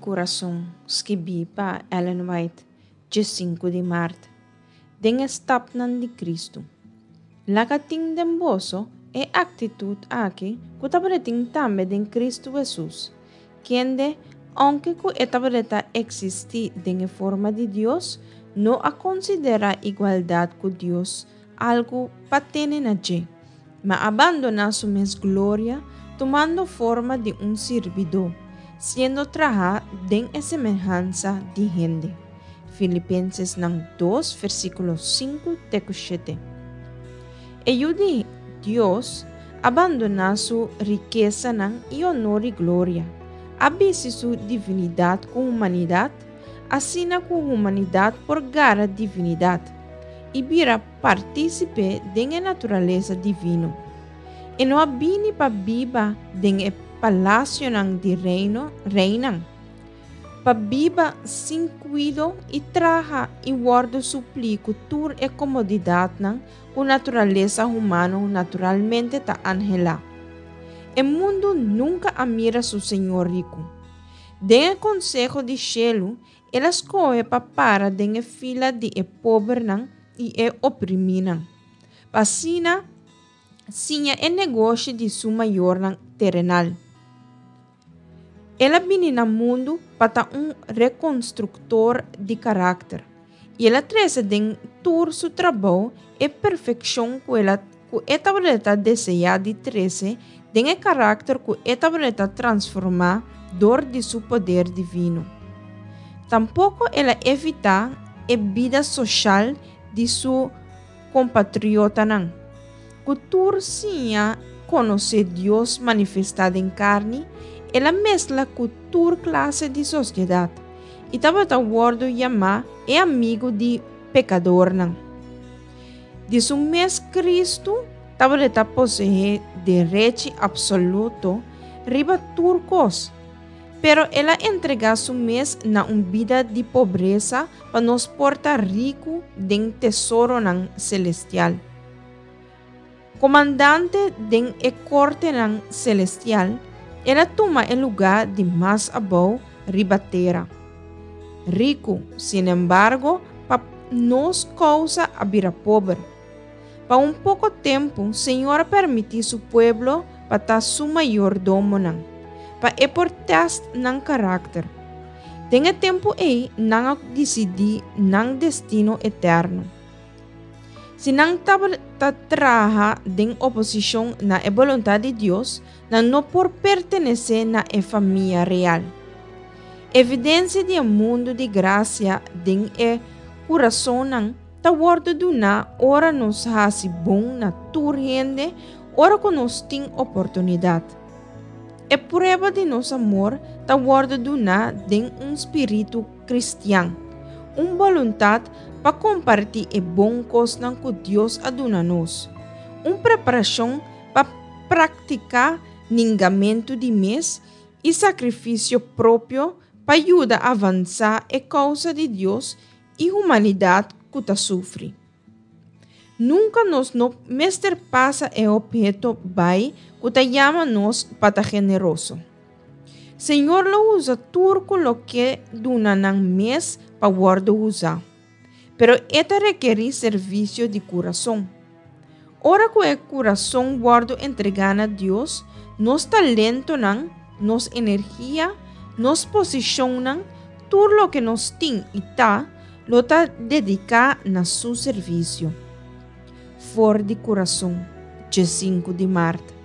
Kurason, skibí pa Ellen White, djesinku di mart, Den e stapnan di Kristu. Laga tin den boso e aktitut aki ku tabatin tambe den Kristu Hesus, kende, ounke ku e tabata eksistí den e forma di Dios, no a konsiderá igualdat ku Dios algu pa tene na dje, ma a bandoná su mes gloria, tumando forma di un sirbidó, siendo trahá den e semehansa di hende. Filipensesnan dos, versíkulo sinku te ku shete. E Yu di Dios a bandoná su rikesanan i onor i gloria, a bisti su divinidat ku humanidat, asina ku humanidat por gara divinidat i bira partísipe den e naturalesa divino. E no a bini pa biba den e palasionan di reino, reinan, pa biba sin kuido i traha i wòrdu suplí ku tur e komodidatnan ku naturalesa humano naturalmente ta anhelá. E mundu nunka a mira su Señor riku. Den e konseho di shelu, el a skohe pa para den e fila di e pobernan i e oprimínan, pa asina siña e negoshi di su mayornan terenal. El a bini na mundu pa ta un rekonstruktor di karakter, i el a trese den tur su trabou e perfekshon ku el a ku e tabata deseá di trese den e karakter ku e tabata transformá dor di su poder divino. Tampoko el a evitá e bida soshal di su kompatriotanan. Ku tur siña konosé Dios manifestá den karni, el a mesla ku tur klase di sosiedat i tabata wòrdu yamá e amigu di pekadornan. Di su mes Kristu tabata poseé derechi apsoluto riba tur kos, pero el a entregá su mes na un bida di pobresa pa nos por ta riku den tesoronan selestial. Komandante den e kortenan selestial, el a tuma e lugá di mas abou riba tera. Riku, sinembargo, pa nos kousa a bira pober. Pa un poko tempu, Señor a permití su pueblo pa ta su mayordomonan, pa e por tèst nan karakter. Den e tempu ei nan a disidí nan destino eterno. Si nan tabata traha den oposishon na e boluntat di Dios, nan no por pertenesé na e famia real. Evidensia di e mundu di grasia den e kurasonnan ta wòrdu duná ora nos hasi bon na tur hende ora ku nos tin oportunidat. E prueba di nos amor ta wòrdu duná den un spiritu kristian, un boluntat pa kompartí e bon kosnan ku Dios a duna nos, un preparashon pa praktiká ningamentu di mes i sakrifisio propio pa yuda avansá e kousa di Dios i humanidat ku ta sufri. Nunka nos no mester pasa e opheto bai ku ta yama nos pa ta generoso. Señor lo usa tur ku lo ke duna nan mes pa wòrdu usá, pero e ta rekerí servisio di kurason. Ora ku e kurason wòrdu entregá na Dios, nos talentonan, nos energia, nos posishonnan, tur loke nos tin i ta, lo ta dediká na su servisio. For di kurason, djesinku di mart.